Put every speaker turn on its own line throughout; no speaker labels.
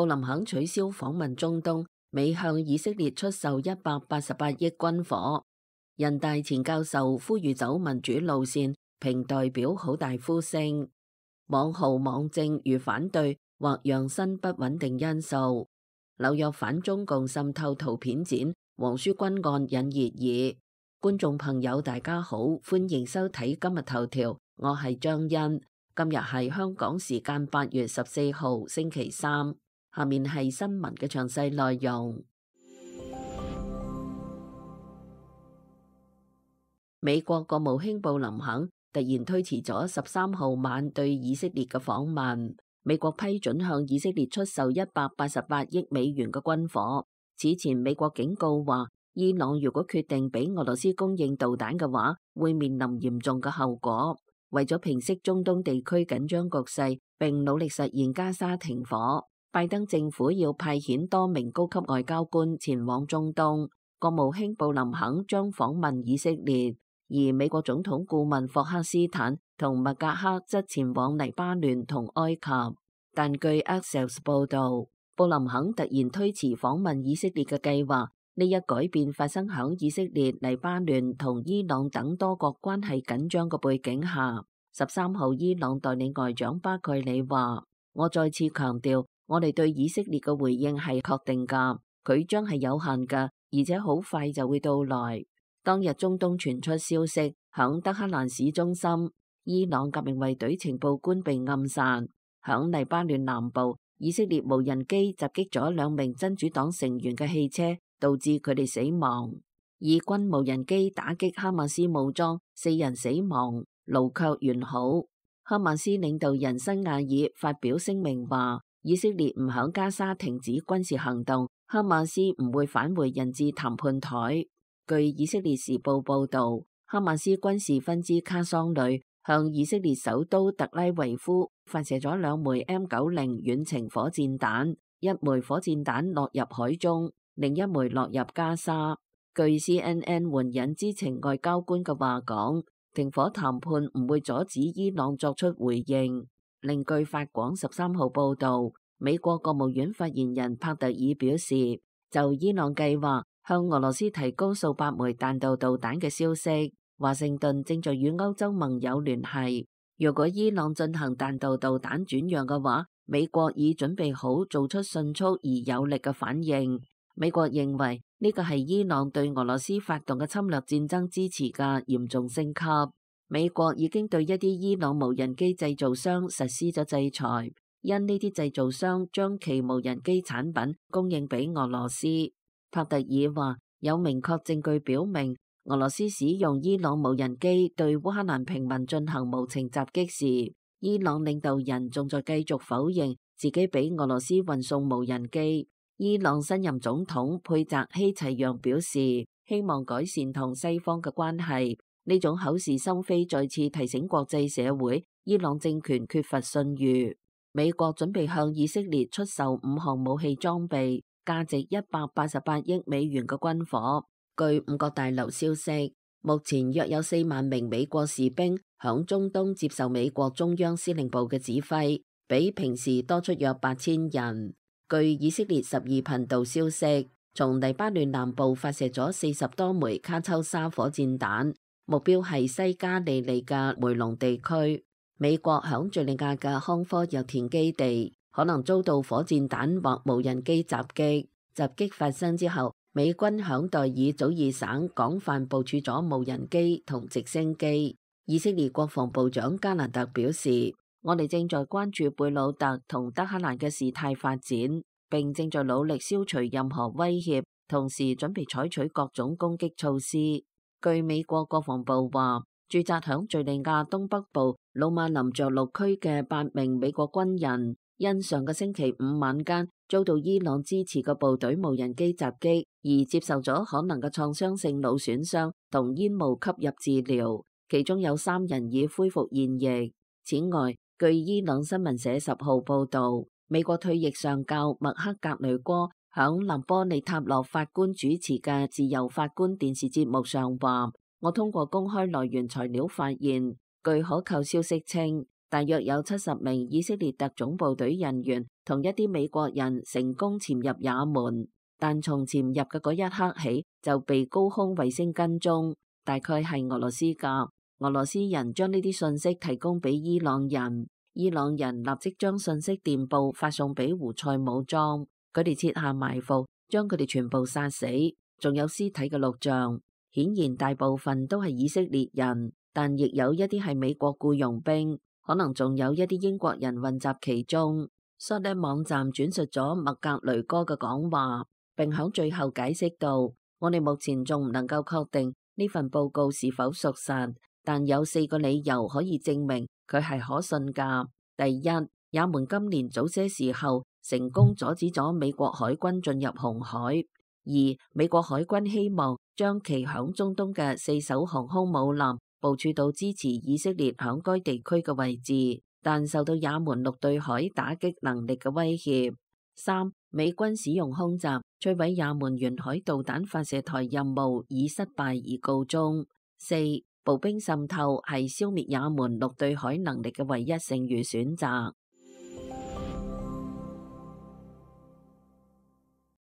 布林肯取消訪問中東，美向以色列出售188億軍火。人大前教授呼籲走民主路線，評代表好大呼聲。網豪網政如反對或讓新不穩定因素。紐約反中共滲透圖片展，黃書君案引熱議。觀眾朋友大家好，歡迎收睇今日頭條，我係張欣。今日係香港時間8月14號星期三，下面係新聞嘅詳細內容。美國國務卿布林肯突然推遲咗13號晚對以色列嘅訪問。美國批准向以色列出售188億美元嘅軍火。此前美國警告話，伊朗如果決定俾俄羅斯供應導彈嘅話，會面臨嚴重嘅後果。為咗平息中東地區緊張局勢，並努力實現加沙停火，拜登政府要派遣多名高級外交官前往中東。國務卿布林肯將訪問以色列，而美國總統顧問霍克斯坦同麥格克則前往黎巴嫩同埃及。但據 Axios 報導，布林肯突然推遲訪問以色列嘅計劃。呢一改變發生響以色列、黎巴嫩同伊朗等多國關係緊張嘅背景下。13號伊朗代理外長巴蓋里話：我再次強調，我哋對以色列嘅回應係確定㗎，佢將係有限㗎，而且好快就會到來。當日中東傳出消息，響德黑蘭市中心，伊朗革命衛隊情報官被暗殺；響黎巴嫩南部，以色列無人機襲擊咗2名真主黨成員嘅汽車，導致佢哋死亡。以軍無人機打擊哈馬斯武裝，4人死亡，勞卻完好。哈馬斯領導人辛亞爾發表聲明話，以色列唔響加沙停止軍事行動，哈馬斯唔會返回人質談判台。據以色列時報報導，哈馬斯軍事分支卡桑旅向以色列首都特拉維夫發射咗2枚 M90 遠程火箭彈，一枚火箭彈落入海中，另一枚落入加沙。據 CNN 援引知情外交官嘅話講，停火談判唔會阻止伊朗作出回應。另據法廣13號報導，美國國務院發言人帕特爾表示，就伊朗計劃向俄羅斯提供數百枚彈道導彈嘅消息，華盛頓正在與歐洲盟友聯繫。如果伊朗進行彈道導彈轉讓嘅話，美國已準備好做出迅速而有力嘅反應。美國認為呢個係伊朗對俄羅斯發動嘅侵略戰爭支持嘅嚴重升級。美國已經對一啲伊朗無人機製造商實施咗制裁，因呢啲製造商將其無人機產品供應俾俄羅斯。帕特爾話，有明確證據表明，俄羅斯使用伊朗無人機對烏克蘭平民進行無情襲擊時，伊朗領導人仲在繼續否認自己俾俄羅斯運送無人機。伊朗新任總統佩澤希齊揚表示，希望改善同西方嘅關係。呢種口是心非再次提醒國際社會，伊朗政權缺乏信譽。美國準備向以色列出售5項武器裝備，價值188億美元嘅軍火。據5角大樓消息，目前約有4萬名美國士兵響中東接受美國中央司令部嘅指揮，比平時多出約8000人。據以色列12頻道消息，從黎巴嫩南部發射咗40多枚卡秋莎火箭彈，目標係西加利利嘅梅隆地區。美國響敘利亞嘅康科油田基地可能遭到火箭彈或無人機襲擊。襲擊發生之後，美軍響代爾祖爾省廣泛部署咗無人機同直升機。以色列國防部長加蘭特表示，我哋正在關注貝魯特同德黑蘭嘅事態發展，並正在努力消除任何威脅，同時準備採取各種攻擊措施。據美國國防部話，駐紮響敘利亞東北部魯馬林着陸區嘅8名美國軍人，因上個星期五晚間遭到伊朗支持嘅部隊無人機襲擊，而接受咗可能嘅創傷性腦損傷同煙霧吸入治療，其中有3人已恢復現役。此外，據伊朗新聞社10號報導，美國退役上校麥克格雷戈響林波利塔洛法官主持嘅自由法官電視節目上話，我通過公開來源材料發現，據可靠消息稱，大約有70名以色列特種部隊人員同一啲美國人成功潛入也門，但從潛入嘅嗰一刻起就被高空衛星跟蹤，大概係俄羅斯㗎。俄羅斯人將呢啲信息提供俾伊朗人，伊朗人立即將信息電報發送俾胡塞武裝，佢哋設下埋伏，將佢哋全部殺死，仲有屍體嘅錄像。顯然大部分都係以色列人，但亦有一啲係美國僱傭兵，可能仲有一啲英國人混雜其中。Sode網站轉述咗麥格雷哥嘅講話，並響最後解釋到：我哋目前仲唔能夠確定呢份報告是否屬實，但有4個理由可以證明佢係可信㗎。第一，也門今年早些時候成功阻止咗美國海軍進入紅海。二，美國海軍希望將其響中東嘅4艘航空母艦部署到支持以色列響該地區嘅位置，但受到也門陸對海打擊能力嘅威脅。三，美軍使用空襲摧毀也門沿海導彈發射台任務以失敗而告終。四，步兵滲透係消滅也門陸對海能力嘅唯一剩餘選擇。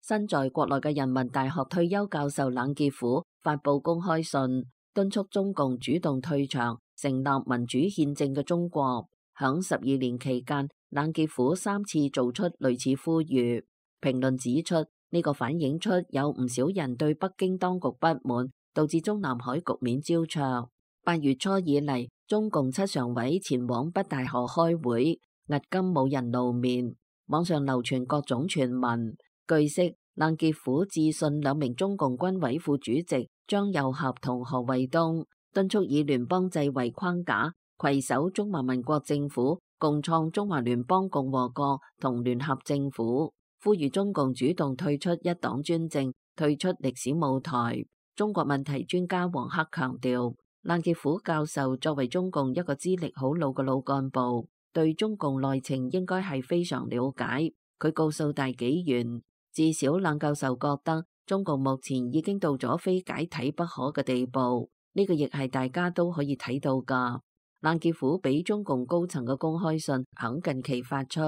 身在國內嘅人民大學退休教授冷傑夫發布公開信，敦促中共主動退場，成立民主憲政嘅中國。響12年期間，冷傑夫3次做出類似呼籲。評論指出，呢個反映出有唔少人對北京當局不滿，導致中南海局面焦灼。8月初以嚟，中共7常委前往北戴河開會，迄今冇人露面。網上流傳各種傳聞。據悉，冷傑夫致信2名中共軍委副主席張又俠同何衛東，敦促以聯邦制為框架，攜手中華民國政府，共創中華聯邦共和國同聯合政府，呼籲中共主動退出一黨專政，退出歷史舞台。中國問題專家王克強調，冷傑夫教授作為中共一個資歷好老嘅老幹部，對中共內情應該係非常了解。佢告訴大紀元，至少冷教授覺得中共目前已經到咗非解體不可嘅地步，呢個亦係大家都可以睇到㗎。冷傑夫俾中共高層嘅公開信響近期發出，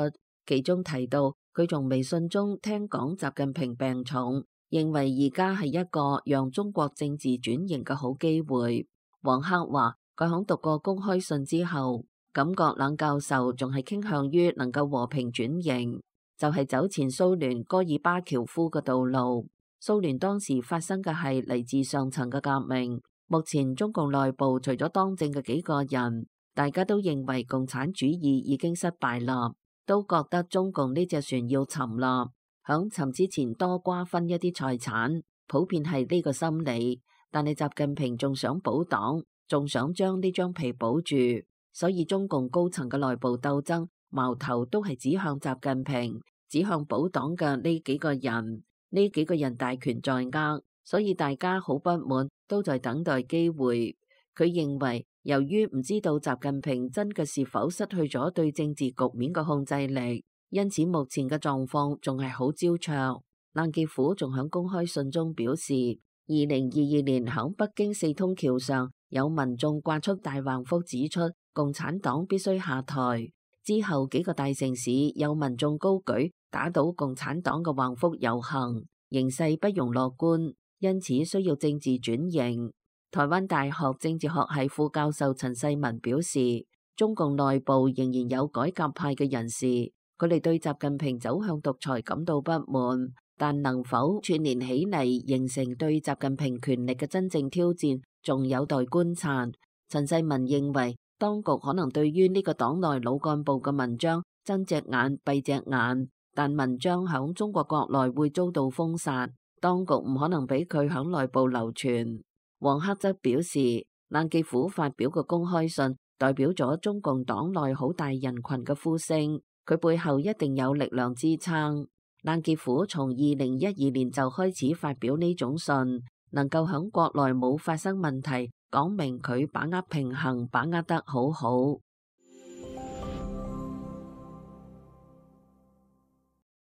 其中提到佢從微信中聽講習近平病重，認為而家係一個讓中國政治轉型嘅好機會。王克話佢響讀過公開信之後，感覺冷教授仲係傾向於能夠和平轉型，就係走前蘇聯戈爾巴喬夫嘅道路。蘇聯當時發生嘅係嚟自上層嘅革命，目前中共內部除咗當政嘅幾個人，大家都認為共產主義已經失敗啦，都覺得中共呢隻船要沉啦，響沉之前多瓜分一啲財產，普遍係呢個心理。但係習近平仲想保黨，仲想將呢張皮保住，所以中共高層嘅內部鬥爭矛頭都係指向習近平，指向保黨嘅呢幾個人。呢幾個人大權在握，所以大家好不滿，都在等待機會。佢認為，由於唔知道習近平真嘅是否失去咗對政治局面嘅控制力，因此目前嘅狀況仲係好焦灼。冷傑夫仲喺公開信中表示，2022年喺北京四通橋上有民眾掛出大橫幅，指出共產黨必須下台。之後幾個大城市有民眾高舉打倒共產黨嘅橫幅遊行，形勢不容樂觀，因此需要政治轉型。台灣大學政治學系副教授陳世文表示，中共內部仍然有改革派嘅人士，佢哋對習近平走向獨裁感到不滿，但能否串聯起嚟形成對習近平權力嘅真正挑戰，仲有待觀察。陳世文認為，當局可能對於呢個黨內老幹部嘅文章睜隻眼閉隻眼，但文章響中國國內會遭到封殺，當局唔可能俾佢響內部流傳。王克則表示，冷傑夫發表嘅公開信代表咗中共黨內好大人群嘅呼聲，佢背後一定有力量支撐。冷傑夫從2012年就開始發表呢種信，能夠響國內冇發生問題，講明佢把握平衡，把握得好好。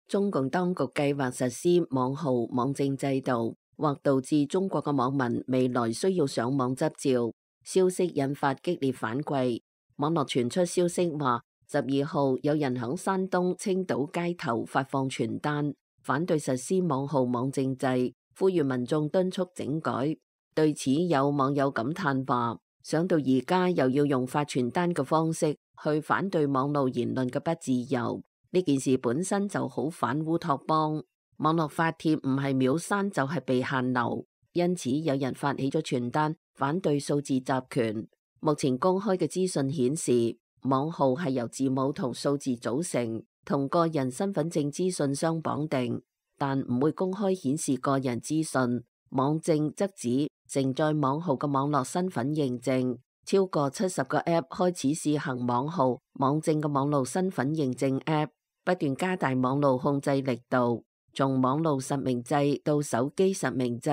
中共當局計劃實施網號網證制度，或導致中國嘅網民未來需要上網執照，消息引發激烈反饋。網絡傳出消息話，12號有人響山東青島街頭發放傳單，反對實施網號網證制，呼籲民眾敦促整改。對此有網友感嘆話，想到而家又要用發傳單嘅方式去反對網絡言論嘅不自由，呢件事本身就好反烏托邦。網絡發帖唔係秒刪就係被限流，因此有人發起咗傳單反對數字集權。目前公開嘅資訊顯示，網號係由字母同數字組成，同個人身份證資訊相綁定，但唔會公開顯示個人資訊。網證則指承載網號嘅網絡身份認證，超過70個 App 開始試行網號網證嘅網絡身份認證 App， 不斷加大網絡控制力度，從網絡實名制到手機實名制，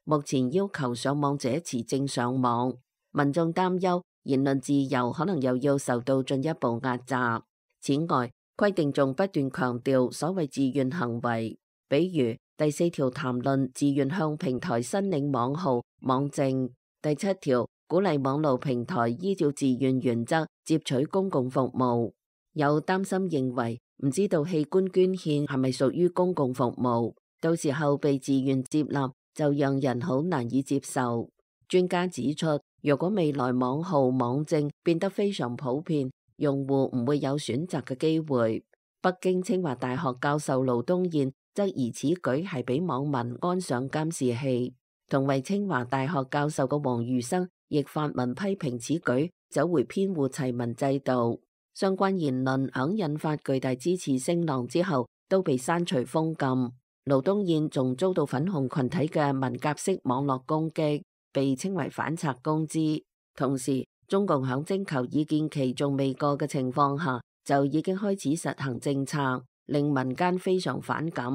目前要求上網者持證上網。民眾擔憂言論自由可能又要受到進一步壓榨。此外，規定仲不斷強調所謂自願行為，比如第4條談論自願向平台申領網號網證，第7條鼓勵網絡平台依照自願原則接取公共服務。有擔心認為，唔知道器官捐獻係咪屬於公共服務，到時候被自願接納就讓人好難以接受。專家指出，如果未來網號網證變得非常普遍，用戶唔會有選擇嘅機會。北京清華大學教授盧東彥質疑此舉係俾網民安上監視器，同為清華大學教授嘅黃瑜生亦發文批評此舉走回編戶齊民制度。相關言論響引發巨大支持聲浪之後都被刪除封禁。盧東彥仲遭到粉紅群體嘅文革式網絡攻擊，被稱為反賊公知。同時，中共響徵求意見期仲未過嘅情況下，就已經開始實行政策，令民間非常反感。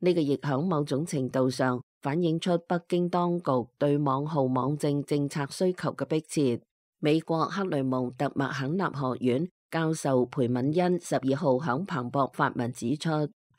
呢個亦響某種程度上反映出北京當局對網號網證政策需求嘅迫切。美國克雷蒙特麥肯納學院教授裴敏恩12號響彭博發文指出，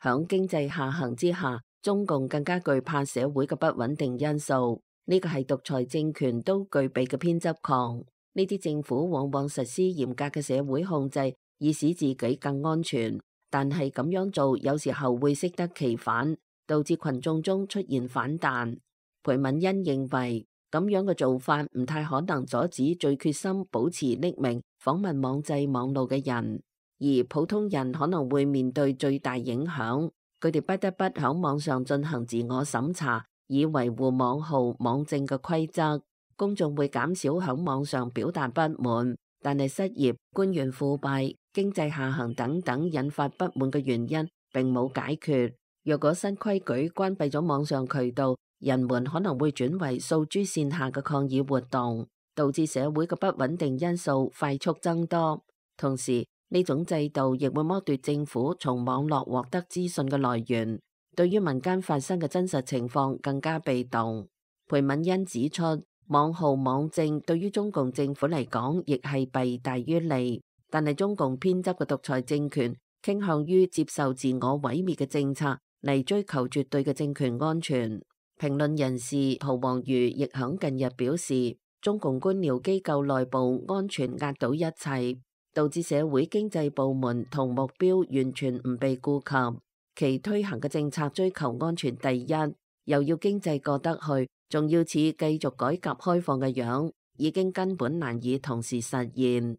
響經濟下行之下，中共更加懼怕社會嘅不穩定因素。呢個係獨裁政權都具備嘅偏執狂。呢啲政府往往實施嚴格嘅社會控制，以使自己更安全。但係咁樣做有時候會適得其反，導致群眾中出現反彈。裴敏恩認為咁樣嘅做法唔太可能阻止最決心保持匿名訪問網際網路嘅人，而普通人可能會面對最大影響。佢哋不得不喺網上進行自我審查，以維護網號網證嘅規則。公眾會減少喺網上表達不滿，但係失業、官員腐敗、經濟下行等等引發不滿嘅原因並冇解決。若果新規矩關閉咗網上渠道，人們可能會轉為訴諸線下嘅抗議活動，導致社會嘅不穩定因素快速增多。同時，呢種制度亦會剝奪政府從網絡獲得資訊嘅來源，對於民間發生嘅真實情況更加被動。裴敏恩指出，網號網證對於中共政府嚟講亦係弊大於利，但係中共偏執嘅獨裁政權傾向於接受自我毀滅嘅政策嚟追求絕對嘅政權安全。評論人士陶黃瑜亦響近日表示，中共官僚機構內部安全壓倒一切，導致社會經濟部門同目標完全唔被顧及，其推行嘅政策追求安全第一，又要經濟過得去，仲要似繼續改革開放嘅樣，已經根本難以同時實現。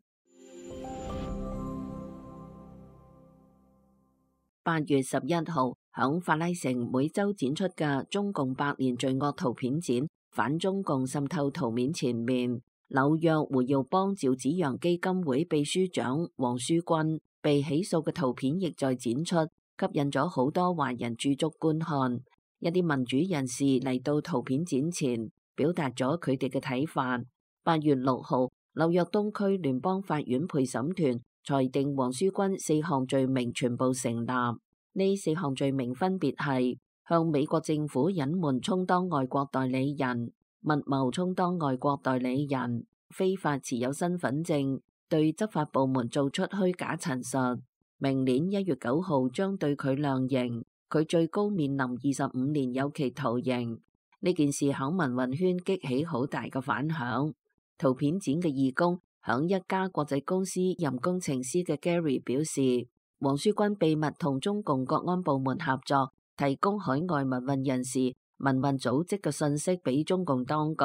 8月11號，響法拉盛每周展出嘅中共百年罪惡圖片展反中共滲透圖面前面，紐約胡耀邦趙紫陽基金會秘書長黃書君被起訴嘅圖片亦在展出，吸引咗好多華人駐足觀看。一啲民主人士嚟到圖片展前，表達咗佢哋嘅睇法。8月6號，紐約東區聯邦法院陪審團裁定黃書君4項罪名全部成立。呢4項罪名分別係向美國政府隱瞞充當外國代理人、密謀充當外國代理人、非法持有身份證、對執法部門做出虛假陳述。明年1月9號將對佢量刑，佢最高面臨25年有期徒刑。呢件事響民運圈激起好大嘅反響。圖片展嘅義工響一家國際公司任工程師嘅 Gary 表示，王書軍秘密同中共國安部門合作，提供海外民運人士、民運組織嘅信息俾中共當局，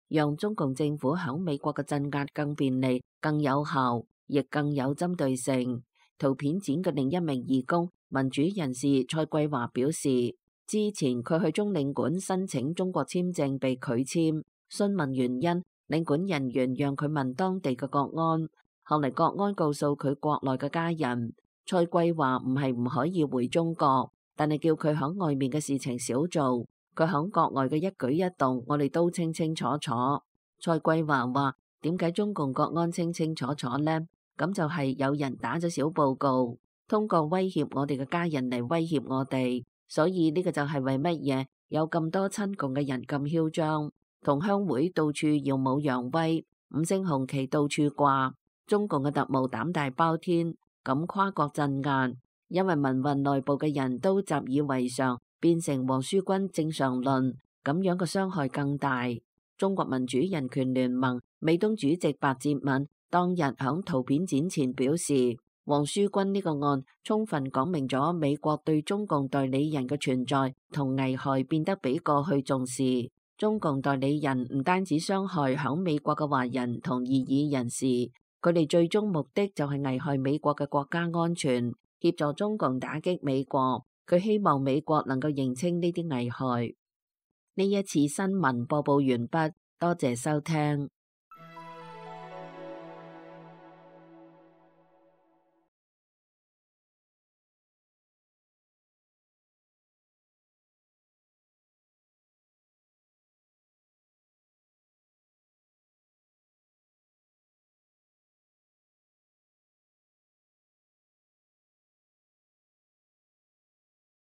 讓中共政府響美國嘅鎮壓更便利、更有效，亦更有針對性。圖片展嘅另一名義工、民主人士蔡桂華表示，之前佢去中領館申請中國簽證被拒簽，詢問原因，領館人員讓佢問當地嘅國安，後嚟國安告訴佢國內嘅家人。蔡桂華唔係唔可以回中國，但係叫佢響外面嘅事情少做，佢響國外嘅一舉一動，我哋都清清楚楚。蔡桂華話：點解中共國安清清楚楚呢？咁就係有人打咗小報告，通過威脅我哋嘅家人嚟威脅我哋，所以呢個就係為乜嘢有咁多親共嘅人咁囂張，同鄉會到處耀武揚威，五星紅旗到處掛，中共嘅特務膽大包天。咁跨國鎮壓，因為民運內部嘅人都習以為常，變成王書軍正常論，咁樣嘅傷害更大。中國民主人權聯盟美東主席白哲敏當日響圖片展前表示，王書軍呢個案充分講明咗美國對中共代理人嘅存在同危害變得比過去重視。中共代理人唔單止傷害響美國嘅華人同異議人士，佢哋最終目的就係危害美國嘅國家安全，協助中共打擊美國。佢希望美國能夠認清呢啲危害。呢一次新聞播報完畢，多謝收聽。